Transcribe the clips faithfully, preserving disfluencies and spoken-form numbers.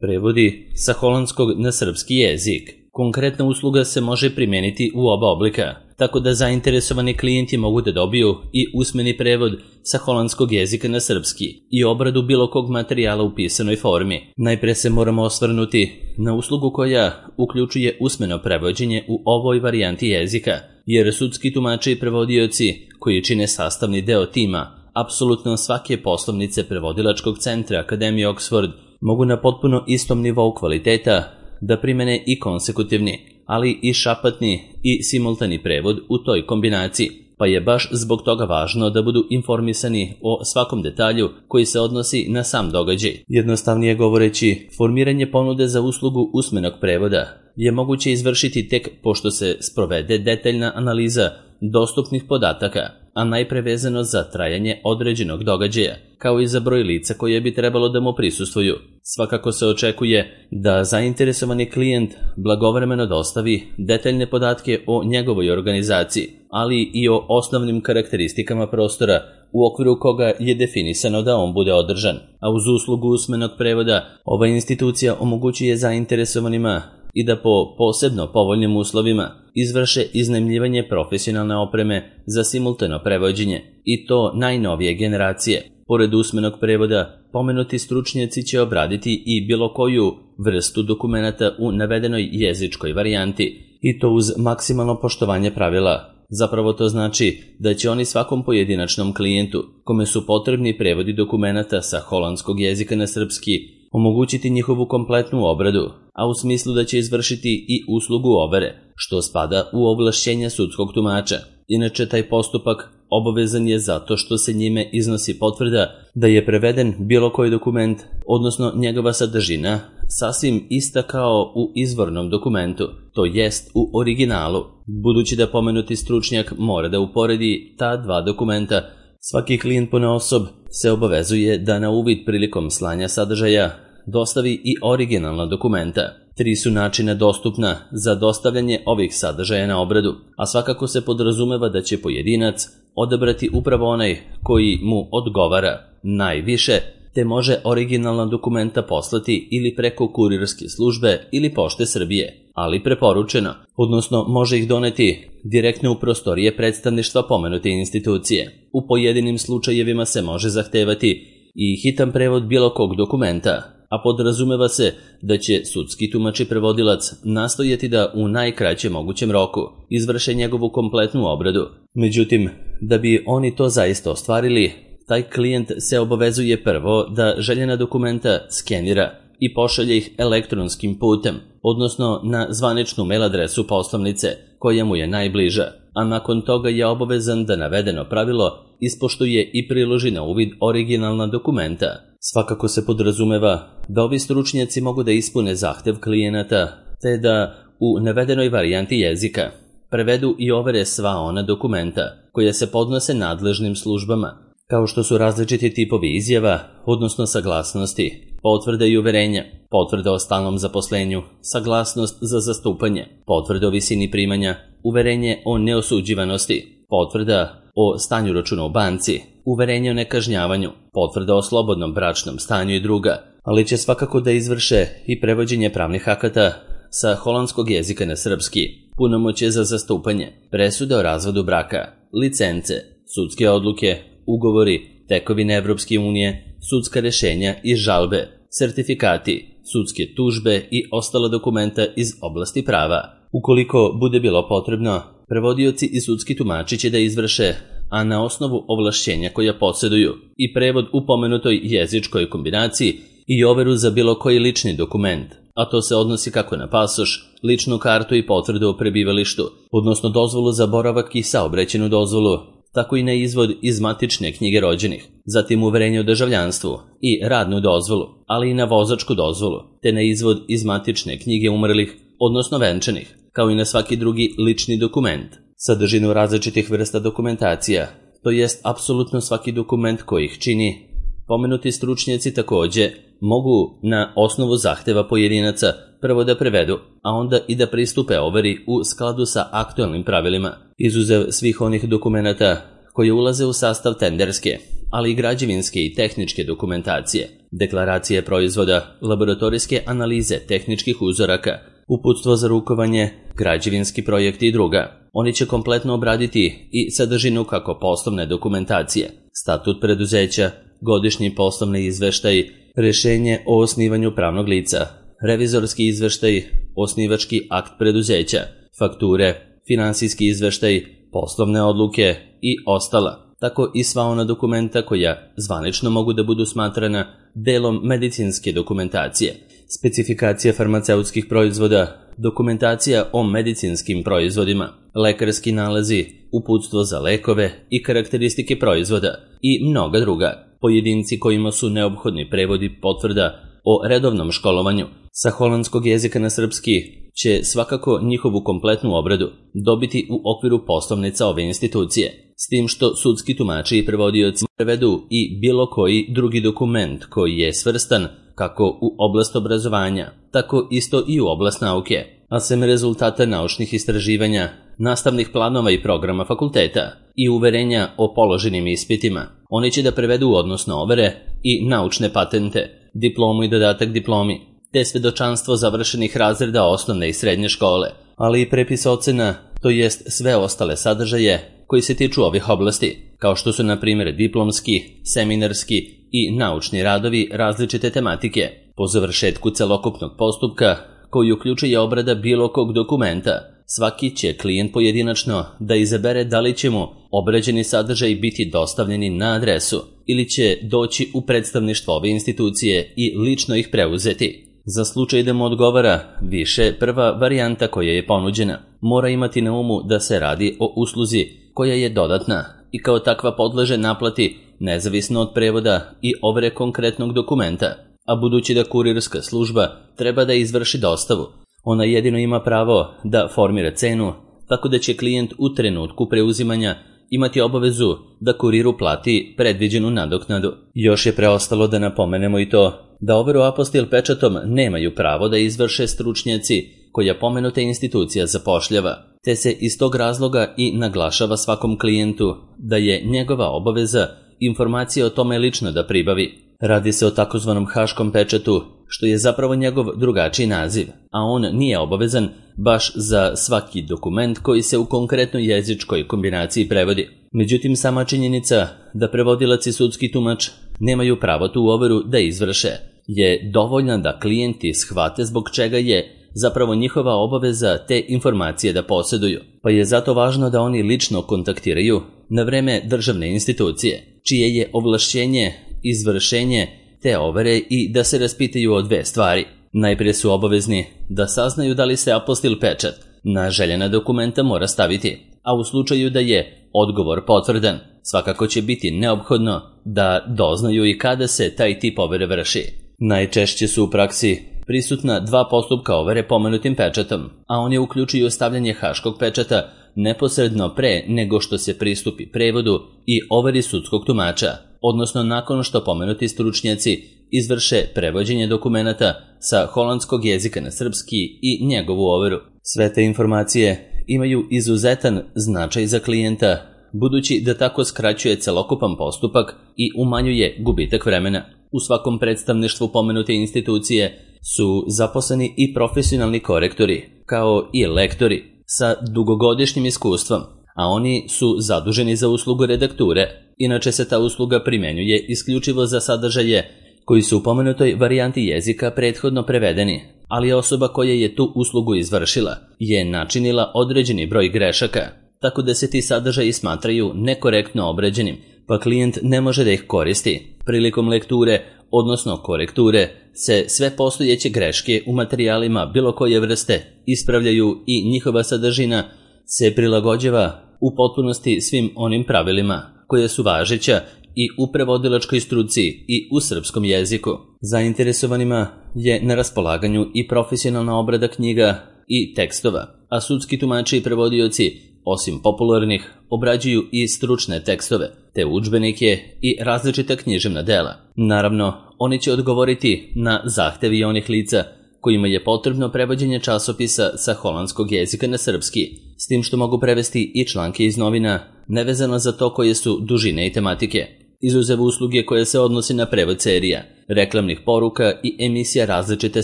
Prevodi sa holandskog na srpski jezik. Konkretna usluga se može primijeniti u oba oblika, tako da zainteresovani klijenti mogu da dobiju i usmeni prevod sa holandskog jezika na srpski i obradu bilo kog materijala u pisanoj formi. Najpre se moramo osvrnuti na uslugu koja uključuje usmeno prevođenje u ovoj varijanti jezika, jer sudski tumači i prevodioci koji čine sastavni deo tima apsolutno svake poslovnice prevodilačkog centra Akademije Oxford mogu na potpuno istom nivou kvaliteta da primene i konsekutivni, ali i šapatni i simultani prevod u toj kombinaciji, pa je baš zbog toga važno da budu informisani o svakom detalju koji se odnosi na sam događaj. Jednostavnije govoreći, formiranje ponude za uslugu usmenog prevoda je moguće izvršiti tek pošto se sprovede detaljna analiza dostupnih podataka, a najpre vezano za trajanje određenog događaja, kao i za broj lica koje bi trebalo da mu prisustvuju. Svakako se očekuje da zainteresovani klijent blagovremeno dostavi detaljne podatke o njegovoj organizaciji, ali i o osnovnim karakteristikama prostora u okviru koga je definisano da on bude održan. A uz uslugu usmenog prevoda, ova institucija omogućuje zainteresovanima i da po posebno povoljnim uslovima izvrše iznajmljivanje profesionalne opreme za simultano prevođenje, i to najnovije generacije. Pored usmenog prevoda, pomenuti stručnjaci će obraditi i bilo koju vrstu dokumenata u navedenoj jezičkoj varijanti, i to uz maksimalno poštovanje pravila. Zapravo to znači da će oni svakom pojedinačnom klijentu, kome su potrebni prevodi dokumenata sa holandskog jezika na srpski, omogućiti njihovu kompletnu obradu, a u smislu da će izvršiti i uslugu overe, što spada u ovlašćenja sudskog tumača. Inače, taj postupak obavezan je zato što se njime iznosi potvrda da je preveden bilo koji dokument, odnosno njegova sadržina, sasvim ista kao u izvornom dokumentu, to jest u originalu. Budući da pomenuti stručnjak mora da uporedi ta dva dokumenta, svaki klijent ponaosob se obavezuje da na uvid prilikom slanja sadržaja dostavi i originalna dokumenta. Tri su načina dostupna za dostavljanje ovih sadržaja na obradu, a svakako se podrazumeva da će pojedinac odabrati upravo onaj koji mu odgovara najviše, te može originalna dokumenta poslati ili preko kurirske službe ili Pošte Srbije, ali preporučeno, odnosno može ih doneti direktno u prostorije predstavništva pomenute institucije. U pojedinim slučajevima se može zahtevati i hitan prevod bilo kog dokumenta, a podrazumeva se da će sudski tumač i prevodilac nastojati da u najkraćem mogućem roku izvrše njegovu kompletnu obradu. Međutim, da bi oni to zaista ostvarili, taj klijent se obavezuje prvo da željena dokumenta skenira i pošalje ih elektronskim putem, odnosno na zvaničnu mail adresu poslovnice koja mu je najbliža, a nakon toga je obavezan da navedeno pravilo ispoštuje i priloži na uvid originalna dokumenta. Svakako se podrazumeva da ovi stručnjaci mogu da ispune zahtev klijenata, te da u navedenoj varijanti jezika prevedu i overe sva ona dokumenta koja se podnose nadležnim službama, kao što su različiti tipovi izjava, odnosno saglasnosti, potvrde i uverenja, potvrda o stalnom zaposlenju, saglasnost za zastupanje, potvrda o visini primanja, uverenje o neosuđivanosti, potvrda o stanju računa u banci, uverenje o nekažnjavanju, potvrda o slobodnom bračnom stanju i druga, ali će svakako da izvrše i prevođenje pravnih akata sa holandskog jezika na srpski, punomoćje za zastupanje, presude o razvodu braka, licence, sudske odluke, ugovori, tekovine Evropske unije, sudska rešenja i žalbe, sertifikati, sudske tužbe i ostala dokumenta iz oblasti prava. Ukoliko bude bilo potrebno, prevodioci i sudski tumači će da izvrše, a na osnovu ovlašćenja koja posjeduju, i prevod u pomenutoj jezičkoj kombinaciji i overu za bilo koji lični dokument, a to se odnosi kako na pasoš, ličnu kartu i potvrdu o prebivalištu, odnosno dozvolu za boravak i saobraćajnu dozvolu, tako i na izvod iz matične knjige rođenih, zatim uverenje o državljanstvu i radnu dozvolu, ali i na vozačku dozvolu, te na izvod iz matične knjige umrlih, odnosno venčanih, kao i na svaki drugi lični dokument. Sadržinu različitih vrsta dokumentacija, to jest apsolutno svaki dokument koji ih čini, pomenuti stručnjaci takođe mogu na osnovu zahteva pojedinaca prvo da prevedu, a onda i da pristupe overi u skladu sa aktualnim pravilima, izuzev svih onih dokumenata koji ulaze u sastav tenderske, ali i građevinske i tehničke dokumentacije. deklaracije proizvoda, laboratorijske analize tehničkih uzoraka, uputstvo za rukovanje, građevinski projekti i druga. Oni će kompletno obraditi i sadržinu kako poslovne dokumentacije, statut preduzeća, godišnji poslovni izveštaj, rešenje o osnivanju pravnog lica, revizorski izveštaj, osnivački akt preduzeća, fakture, finansijski izveštaj, poslovne odluke i ostala, tako i sva ona dokumenta koja zvanično mogu da budu smatrana delom medicinske dokumentacije, specifikacija farmaceutskih proizvoda, dokumentacija o medicinskim proizvodima, lekarski nalazi, uputstvo za lekove i karakteristike proizvoda i mnoga druga. Pojedinci kojima su neophodni prevodi potvrda o redovnom školovanju sa holandskog jezika na srpski će svakako njihovu kompletnu obradu dobiti u okviru poslovnica ove institucije, s tim što sudski tumači i prevodioci prevedu i bilo koji drugi dokument koji je svrstan kako u oblast obrazovanja, tako isto i u oblast nauke, a sem rezultata naučnih istraživanja, nastavnih planova i programa fakulteta i uverenja o položenim ispitima. Oni će da prevedu odnosno overe i naučne patente, diplomu i dodatak diplomi, te svedočanstvo završenih razreda osnovne i srednje škole, ali i prepis ocena, to jest sve ostale sadržaje koji se tiču ovih oblasti, kao što su na primjer diplomski, seminarski i naučni radovi različite tematike, po završetku celokupnog postupka koji uključuje obrada bilo kog dokumenta. Svaki će klijent pojedinačno da izabere da li će mu obrađeni sadržaj biti dostavljeni na adresu ili će doći u predstavništvo ove institucije i lično ih preuzeti. Za slučaj da mu odgovara više, prva varijanta koja je ponuđena mora imati na umu da se radi o usluzi koja je dodatna i kao takva podleže naplati nezavisno od prevoda i overe konkretnog dokumenta, a budući da kurirska služba treba da izvrši dostavu, ona jedino ima pravo da formira cenu, tako da će klijent u trenutku preuzimanja imati obavezu da kuriru plati predviđenu nadoknadu. Još je preostalo da napomenemo i to da overu apostil pečatom nemaju pravo da izvrše stručnjaci koja pomenuta institucija zapošljava, te se iz tog razloga i naglašava svakom klijentu da je njegova obaveza informacije o tome lično da pribavi. Radi se o takozvanom haškom pečatu, što je zapravo njegov drugačiji naziv, a on nije obavezan baš za svaki dokument koji se u konkretnoj jezičkoj kombinaciji prevodi. Međutim, sama činjenica da prevodilac i sudski tumač nemaju pravo tu overu da izvrše je dovoljna da klijenti shvate zbog čega je zapravo njihova obaveza te informacije da posjeduju, pa je zato važno da oni lično kontaktiraju na vreme državne institucije, čije je ovlašćenje izvršenje te overe i da se raspitaju o dve stvari. Najprije su obavezni da saznaju da li se apostil pečat na željena dokumenta mora staviti, a u slučaju da je odgovor potvrdan, svakako će biti neophodno da doznaju i kada se taj tip overe vrši. Najčešće su u praksi prisutna dva postupka overe pomenutim pečatom, a oni uključuju stavljanje haškog pečata neposredno pre nego što se pristupi prevodu i overi sudskog tumača, odnosno nakon što pomenuti stručnjaci izvrše prevođenje dokumenata sa holandskog jezika na srpski i njegovu overu. Sve te informacije imaju izuzetan značaj za klijenta, budući da tako skraćuje celokupan postupak i umanjuje gubitak vremena. U svakom predstavništvu pomenute institucije su zaposleni i profesionalni korektori, kao i lektori sa dugogodišnjim iskustvom, a oni su zaduženi za uslugu redakture. Inače se ta usluga primenjuje isključivo za sadržaje koji su u pomenutoj varijanti jezika prethodno prevedeni, ali osoba koja je tu uslugu izvršila je načinila određeni broj grešaka, tako da se ti sadržaji smatraju nekorektno obrađenim, pa klijent ne može da ih koristi. Prilikom lekture, odnosno korekture, se sve postojeće greške u materijalima bilo koje vrste ispravljaju i njihova sadržina se prilagođava u potpunosti svim onim pravilima koje su važeća i u prevodilačkoj struci i u srpskom jeziku. Zainteresovanima je na raspolaganju i profesionalna obrada knjiga i tekstova, a sudski tumači i prevodioci, osim popularnih, obrađuju i stručne tekstove, te udžbenike i različita književna dela. Naravno, oni će odgovoriti na zahtevi onih lica kojima je potrebno prevođenje časopisa sa holandskog jezika na srpski, s tim što mogu prevesti i članke iz novina, nevezano za to koje su dužine i tematike. izuzev usluge koje se odnosi na prevod serija, reklamnih poruka i emisija različite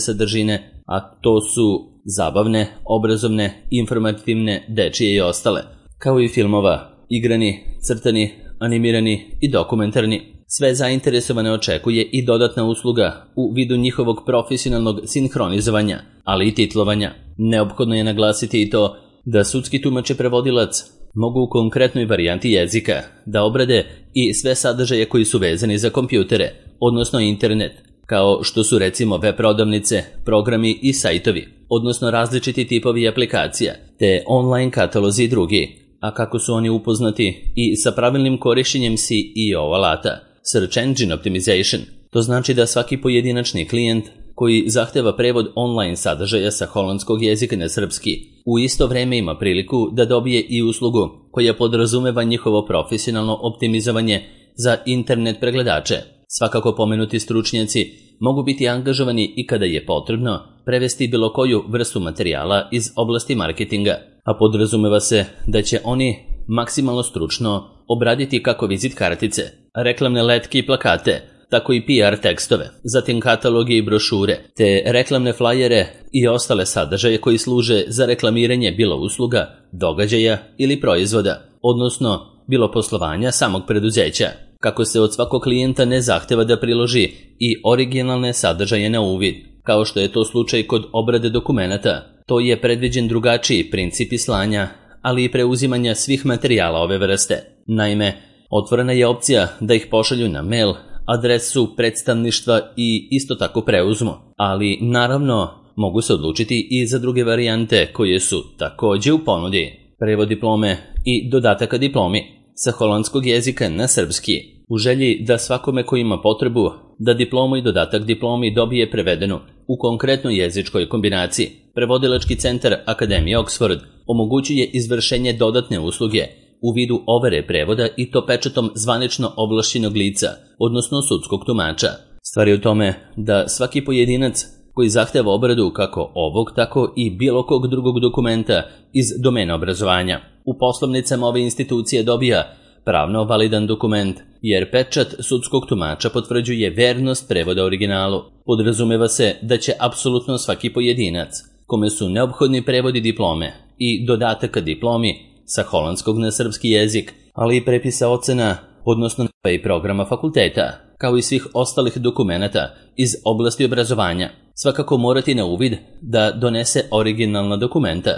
sadržine, a to su zabavne, obrazovne, informativne, dečije i ostale, kao i filmova, igrani, crtani, animirani i dokumentarni. Sve zainteresovane očekuje i dodatna usluga u vidu njihovog profesionalnog sinhronizovanja, ali i titlovanja. Neophodno je naglasiti i to da sudski tumač i prevodilac mogu u konkretnoj varijanti jezika da obrade i sve sadržaje koji su vezani za kompjutere, odnosno internet, kao što su recimo web prodavnice, programi i sajtovi, odnosno različiti tipovi aplikacija, te online katalozi i drugi, a kako su oni upoznati i sa pravilnim korišćenjem C E O alata, Search Engine Optimization. To znači da svaki pojedinačni klijent koji zahteva prevod online sadržaja sa holandskog jezika na srpski, u isto vreme ima priliku da dobije i uslugu koja podrazumeva njihovo profesionalno optimizovanje za internet pregledače. Svakako pomenuti stručnjaci mogu biti angažovani i kada je potrebno prevesti bilo koju vrstu materijala iz oblasti marketinga, a podrazumeva se da će oni maksimalno stručno obraditi kako vizit kartice, reklamne letke i plakate, tako i P R tekstove, zatim kataloge i brošure, te reklamne flajere i ostale sadržaje koji služe za reklamiranje bilo usluga, događaja ili proizvoda, odnosno bilo poslovanja samog preduzeća. Kako se od svakog klijenta ne zahteva da priloži i originalne sadržaje na uvid, kao što je to slučaj kod obrade dokumenata, to je predviđen drugačiji princip slanja, ali i preuzimanja svih materijala ove vrste. Naime, otvorena je opcija da ih pošalju na mail, adresu predstavništva i isto tako preuzmu, ali naravno mogu se odlučiti i za druge varijante koje su takođe u ponudi. Prevod diplome i dodataka diplomi sa holandskog jezika na srpski, u želji da svakome ko ima potrebu da diplomu i dodatak diplomi dobije prevedenu u konkretnoj jezičkoj kombinaciji. Prevodilački centar Akademije Oxford omogućuje izvršenje dodatne usluge u vidu overe prevoda i to pečatom zvanično ovlašćenog lica, odnosno sudskog tumača. Stvar je u tome da svaki pojedinac koji zahteva obradu kako ovog, tako i bilo kog drugog dokumenta iz domena obrazovanja u poslovnicama ove institucije dobija pravno validan dokument, jer pečat sudskog tumača potvrđuje vernost prevoda originalu. Podrazumeva se da će apsolutno svaki pojedinac, kome su neophodni prevodi diplome i dodataka diplomi sa holandskog na srpski jezik, ali i prepisa ocena, odnosno i programa fakulteta, kao i svih ostalih dokumenata iz oblasti obrazovanja, svakako morati na uvid da donese originalna dokumenta.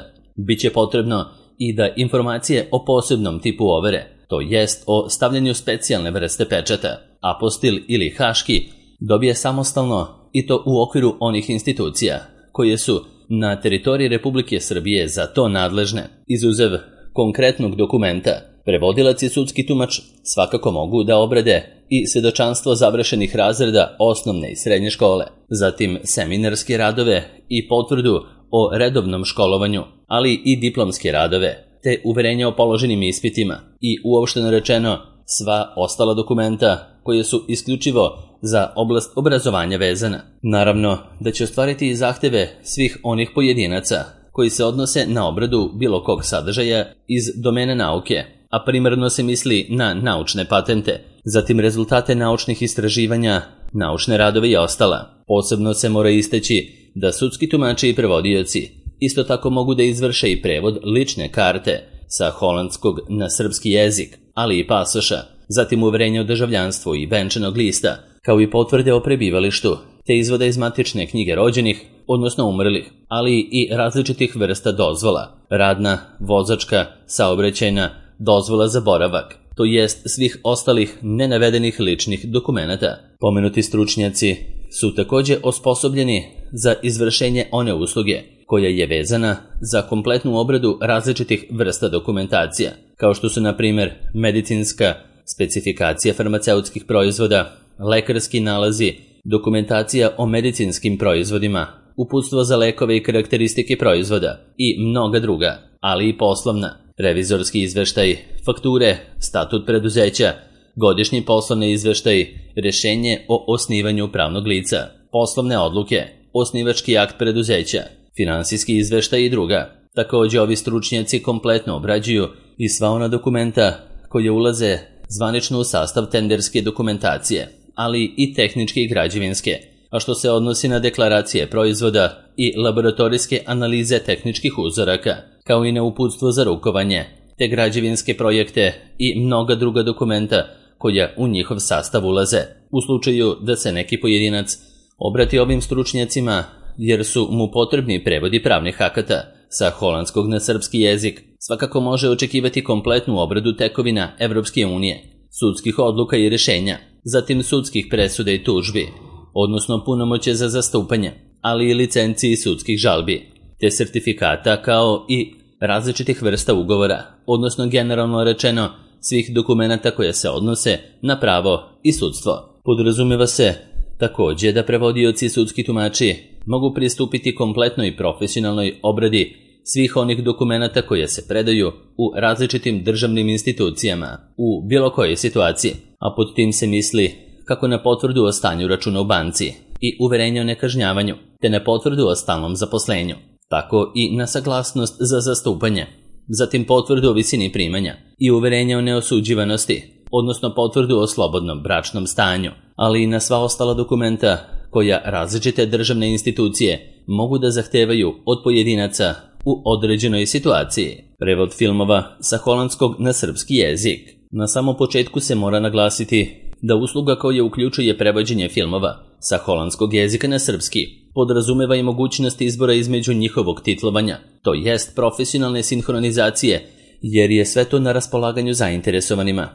Biće potrebno i da informacije o posebnom tipu overe, to jest o stavljanju specijalne vrste pečata, apostil ili haški, dobije samostalno i to u okviru onih institucija koje su na teritoriji Republike Srbije za to nadležne. Izuzev konkretnog dokumenta, prevodilac i sudski tumač svakako mogu da obrade i svedočanstvo završenih razreda osnovne i srednje škole, zatim seminarske radove i potvrdu o redovnom školovanju, ali i diplomske radove, te uverenja o položenim ispitima i uopšteno rečeno sva ostala dokumenta koje su isključivo za oblast obrazovanja vezana. Naravno da će ostvariti i zahteve svih onih pojedinaca koji se odnose na obradu bilo kog sadržaja iz domene nauke, a primarno se misli na naučne patente, zatim rezultate naučnih istraživanja, naučne radove i ostala. Posebno se mora istaći da sudski tumači i prevodioci isto tako mogu da izvrše i prevod lične karte sa holandskog na srpski jezik, ali i pasoša, zatim uverenje o državljanstvu i venčanog lista, kao i potvrde o prebivalištu, te izvoda iz matične knjige rođenih, odnosno umrlih, ali i različitih vrsta dozvola, radna, vozačka, saobraćajna, dozvola za boravak, to jest svih ostalih nenavedenih ličnih dokumenata. Pomenuti stručnjaci su takođe osposobljeni za izvršenje one usluge koja je vezana za kompletnu obradu različitih vrsta dokumentacija, kao što su na primer medicinska, specifikacija farmaceutskih proizvoda, lekarski nalazi, dokumentacija o medicinskim proizvodima, uputstvo za lekove i karakteristike proizvoda i mnoga druga, ali i poslovna, revizorski izveštaj, fakture, statut preduzeća, godišnji poslovni izveštaj, rešenje o osnivanju pravnog lica, poslovne odluke, osnivački akt preduzeća, finansijski izveštaj i druga. Takođe ovi stručnjaci kompletno obrađuju i sva ona dokumenta koje ulaze zvanično u sastav tenderske dokumentacije, ali i tehničke i građevinske, a što se odnosi na deklaracije proizvoda i laboratorijske analize tehničkih uzoraka, kao i na uputstvo za rukovanje, te građevinske projekte i mnoga druga dokumenta koja u njihov sastav ulaze, u slučaju da se neki pojedinac obrati ovim stručnjacima jer su mu potrebni prevodi pravnih akata sa holandskog na srpski jezik, svakako može očekivati kompletnu obradu tekovina Evropske unije, sudskih odluka i rješenja, zatim sudskih presuda i tužbi, odnosno punomoće za zastupanje, ali i licenciji sudskih žalbi, te sertifikata kao i različitih vrsta ugovora, odnosno generalno rečeno svih dokumenata koje se odnose na pravo i sudstvo. Podrazumeva se takođe da prevodioci i sudski tumači mogu pristupiti kompletnoj profesionalnoj obradi svih onih dokumenata koje se predaju u različitim državnim institucijama u bilo kojoj situaciji, a pod tim se misli kako na potvrdu o stanju računa u banci i uverenje o nekažnjavanju, te na potvrdu o stalnom zaposlenju, tako i na saglasnost za zastupanje, zatim potvrdu o visini primanja i uverenje o neosuđivanosti, odnosno potvrdu o slobodnom bračnom stanju, ali i na sva ostala dokumenta koja različite državne institucije mogu da zahtevaju od pojedinaca u određenoj situaciji. Prevod filmova sa holandskog na srpski jezik. Na samom početku se mora naglasiti da usluga koja uključuje prevođenje filmova sa holandskog jezika na srpski podrazumeva i mogućnost izbora između njihovog titlovanja, to jest profesionalne sinhronizacije, jer je sve to na raspolaganju zainteresovanima.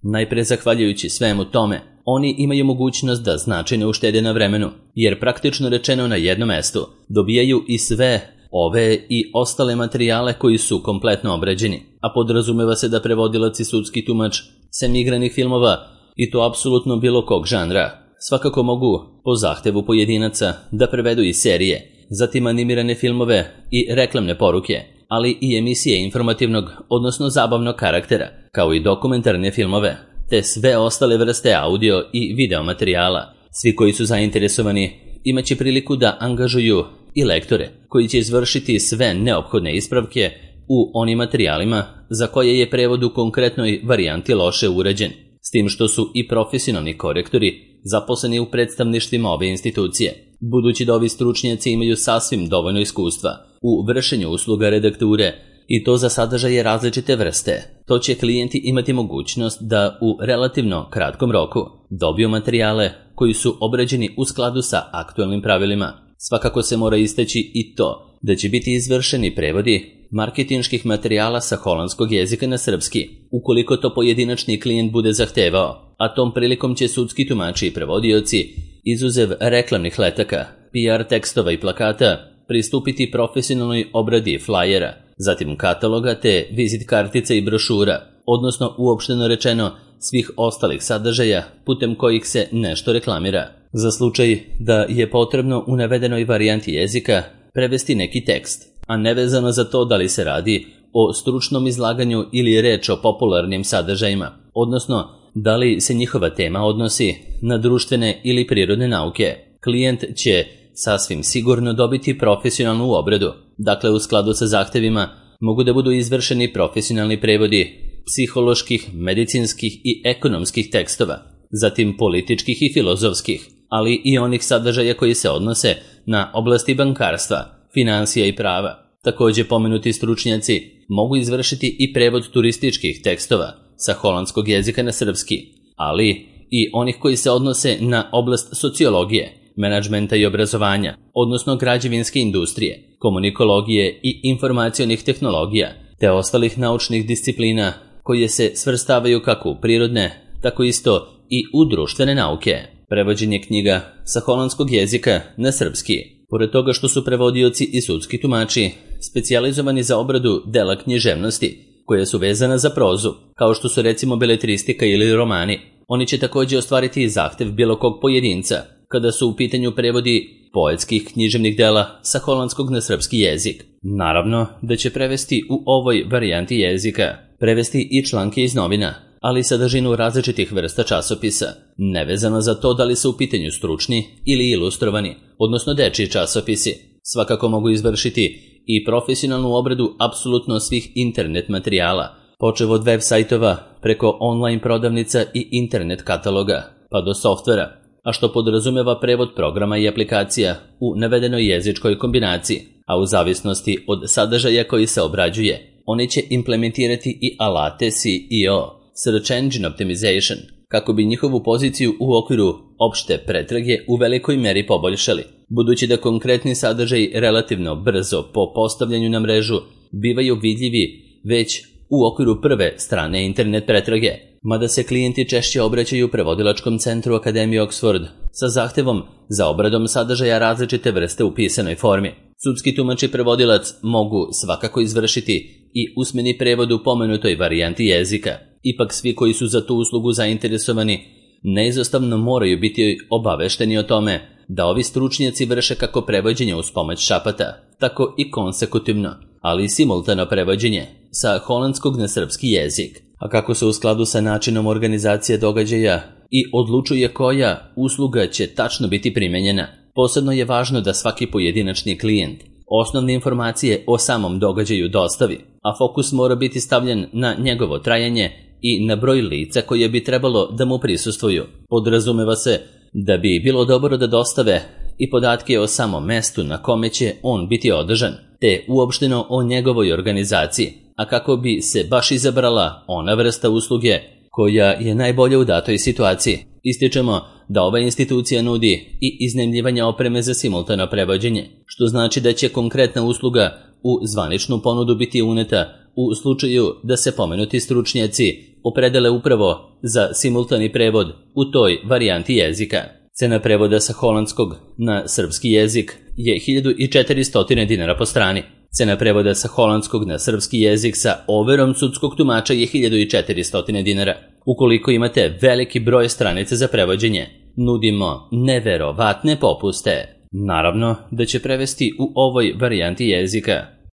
Najpre zahvaljujući svemu tome, oni imaju mogućnost da značajno uštede na vremenu, jer praktično rečeno na jednom mestu dobijaju i sve ove i ostale materijale koji su kompletno obrađeni, a podrazumeva se da prevodilac i sudski tumač sem igranih filmova i to apsolutno bilo kog žanra svakako mogu po zahtevu pojedinaca da prevedu i serije, zatim animirane filmove i reklamne poruke, ali i emisije informativnog, odnosno zabavnog karaktera, kao i dokumentarne filmove, te sve ostale vrste audio i video materijala. Svi koji su zainteresovani imaće priliku da angažuju i lektore koji će izvršiti sve neophodne ispravke u onim materijalima za koje je prevod u konkretnoj varijanti loše urađen, s tim što su i profesionalni korektori zaposleni u predstavništvima ove institucije, budući da ovi stručnjaci imaju sasvim dovoljno iskustva u vršenju usluga redakture i to za sadržaje različite vrste. To će klijenti imati mogućnost da u relativno kratkom roku dobiju materijale koji su obrađeni u skladu sa aktualnim pravilima. Svakako se mora istaći i to da će biti izvršeni prevodi marketinških materijala sa holandskog jezika na srpski, ukoliko to pojedinačni klijent bude zahtevao, a tom prilikom će sudski tumači i prevodioci, izuzev reklamnih letaka, P R tekstova i plakata, pristupiti profesionalnoj obradi flajera, zatim kataloga te vizit kartica i brošura, odnosno uopšteno rečeno svih ostalih sadržaja putem kojih se nešto reklamira. Za slučaj da je potrebno u navedenoj varijanti jezika prevesti neki tekst, a nevezano za to da li se radi o stručnom izlaganju ili je reč o popularnim sadržajima, odnosno da li se njihova tema odnosi na društvene ili prirodne nauke, klijent će sasvim sigurno dobiti profesionalnu obradu. Dakle, u skladu sa zahtevima mogu da budu izvršeni profesionalni prevodi psiholoških, medicinskih i ekonomskih tekstova, zatim političkih i filozofskih, ali i onih sadržaja koji se odnose na oblasti bankarstva, finansija i prava. Također pomenuti stručnjaci mogu izvršiti i prevod turističkih tekstova sa holandskog jezika na srpski, ali i onih koji se odnose na oblast sociologije, menadžmenta i obrazovanja, odnosno građevinske industrije, komunikologije i informacionih tehnologija, te ostalih naučnih disciplina koje se svrstavaju kako u prirodne, tako isto i u društvene nauke. Prevođenje knjiga sa holandskog jezika na srpski. Pored toga što su prevodioci i sudski tumači specijalizovani za obradu dela književnosti, koja su vezana za prozu, kao što su recimo beletristika ili romani, oni će također ostvariti i zahtev bilo kog pojedinca, kada su u pitanju prevodi poetskih književnih dela sa holandskog na srpski jezik. Naravno da će prevesti u ovoj varijanti jezika, prevesti i članke iz novina, ali i sadržinu različitih vrsta časopisa, nevezano za to da li su u pitanju stručni ili ilustrovani, odnosno dečiji časopisi. Svakako mogu izvršiti i profesionalnu obradu apsolutno svih internet materijala, počev od web sajtova preko online prodavnica i internet kataloga, pa do softvera, a što podrazumeva prevod programa i aplikacija u navedenoj jezičkoj kombinaciji, a u zavisnosti od sadržaja koji se obrađuje, oni će implementirati i alate S E O, Search Engine Optimization, kako bi njihovu poziciju u okviru opšte pretrage u velikoj meri poboljšali, budući da konkretni sadržaji relativno brzo po postavljanju na mrežu bivaju vidljivi već u okviru prve strane internet pretrage, mada se klijenti češće obraćaju prevodilačkom centru Akademije Oxford sa zahtevom za obradom sadržaja različite vrste u pisanoj formi. Sudski tumač i prevodilac mogu svakako izvršiti i usmeni prevod u pomenutoj varijanti jezika. Ipak svi koji su za tu uslugu zainteresovani neizostavno moraju biti obavešteni o tome da ovi stručnjaci vrše kako prevođenje uz pomoć šapata, tako i konsekutivno, ali i simultano prevođenje sa holandskog na srpski jezik, a kako se u skladu sa načinom organizacije događaja i odlučuje koja usluga će tačno biti primenjena. Posebno je važno da svaki pojedinačni klijent osnovne informacije o samom događaju dostavi, a fokus mora biti stavljen na njegovo trajanje i na broj lica koje bi trebalo da mu prisustvuju. Podrazumeva se da bi bilo dobro da dostave i podatke o samom mestu na kome će on biti održan, te uopšteno o njegovoj organizaciji, a kako bi se baš izabrala ona vrsta usluge koja je najbolja u datoj situaciji. Ističemo da ova institucija nudi i iznajmljivanje opreme za simultano prevođenje, što znači da će konkretna usluga u zvaničnu ponudu biti uneta u slučaju da se pomenuti stručnjaci opredele upravo za simultani prevod u toj varijanti jezika. Cena prevoda sa holandskog na srpski jezik je hiljadu četiristo dinara po strani. Cena prevoda sa holandskog na srpski jezik sa overom sudskog tumača je hiljadu četiristo dinara. Ukoliko imate veliki broj stranica za prevođenje, nudimo neverovatne popuste. Naravno da će prevesti u ovoj varijanti jezika